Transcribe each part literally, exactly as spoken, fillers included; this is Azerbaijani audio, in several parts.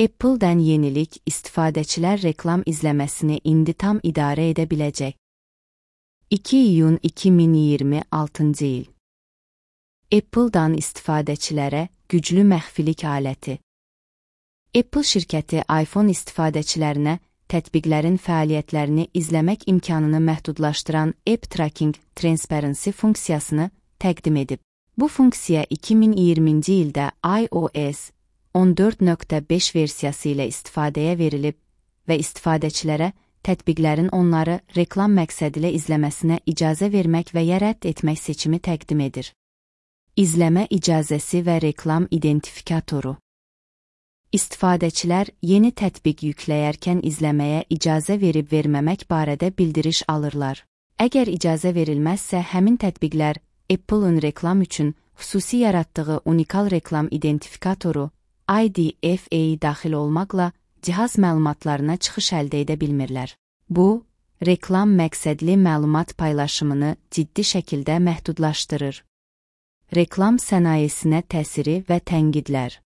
Apple'dan yenilik, istifadəçilər reklam izləməsini indi tam idarə edə biləcək. iki iyun iki min iyirmi altıncı il. Apple'dan istifadəçilərə güclü məxfilik aləti. Apple şirkəti iPhone istifadəçilərinə tətbiqlərin fəaliyyətlərini izləmək imkanını məhdudlaşdıran App Tracking Transparency funksiyasını təqdim edib. Bu funksiya iki min iyirminci ildə iOS on dörd nöqtə beş versiyası ilə istifadəyə verilib və istifadəçilərə tətbiqlərin onları reklam məqsədilə izləməsinə icazə vermək və ya rədd etmək seçimi təqdim edir. İzləmə icazəsi və reklam identifikatoru. İstifadəçilər yeni tətbiq yükləyərkən izləməyə icazə verib-verməmək barədə bildiriş alırlar. Əgər icazə verilməzsə, həmin tətbiqlər Apple'ın reklam üçün xüsusi yaratdığı unikal reklam identifikatoru I D F A daxil olmaqla cihaz məlumatlarına çıxış əldə edə bilmirlər. Bu, reklam məqsədli məlumat paylaşımını ciddi şəkildə məhdudlaşdırır. Reklam sənayesinə təsiri və tənqidlər.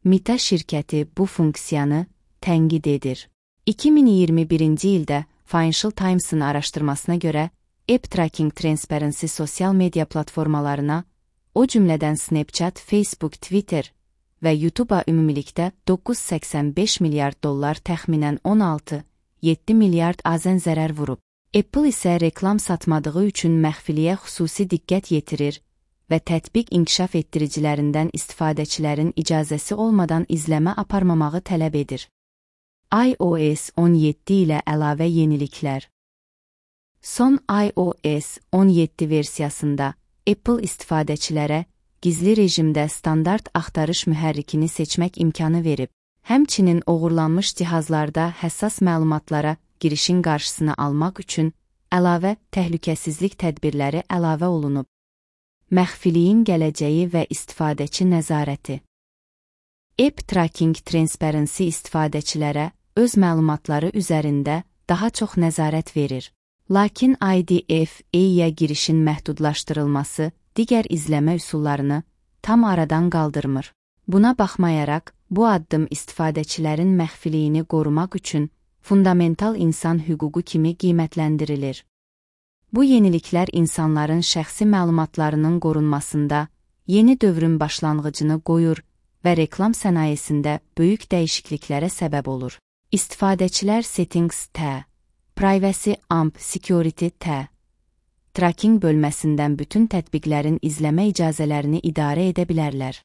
Meta şirkəti bu funksiyanı tənqid edir. iki min iyirmi birinci ildə Financial Times'ın araşdırmasına görə App Tracking Transparency sosial media platformalarına, o cümlədən Snapchat, Facebook, Twitter və YouTube-a ümumilikdə doqquz nöqtə səksən beş milyard dollar təxminən on altı nöqtə yeddi milyard azən zərər vurub. Apple isə reklam satmadığı üçün məxfiliyə xüsusi diqqət yetirir və tətbiq inkişaf etdiricilərindən istifadəçilərin icazəsi olmadan izləmə aparmamağı tələb edir. iOS on yeddi ilə əlavə yeniliklər. Son iOS on yeddi versiyasında Apple istifadəçilərə gizli rejimdə standart axtarış mühərrikini seçmək imkanı verib. Həmçinin oğurlanmış cihazlarda həssas məlumatlara girişin qarşısını almaq üçün əlavə təhlükəsizlik tədbirləri əlavə olunub. Məxfiliyin gələcəyi və istifadəçi nəzarəti. App Tracking Transparency istifadəçilərə öz məlumatları üzərində daha çox nəzarət verir. Lakin I D F A-yə girişin məhdudlaşdırılması digər izləmə üsullarını tam aradan qaldırmır. Buna baxmayaraq, bu addım istifadəçilərin məxfiliyini qorumaq üçün fundamental insan hüququ kimi qiymətləndirilir. Bu yeniliklər insanların şəxsi məlumatlarının qorunmasında yeni dövrün başlanğıcını qoyur və reklam sənayesində böyük dəyişikliklərə səbəb olur. İstifadəçilər Settings T, Privacy and Security T, Tracking bölməsindən bütün tətbiqlərin izləmə icazələrini idarə edə bilərlər.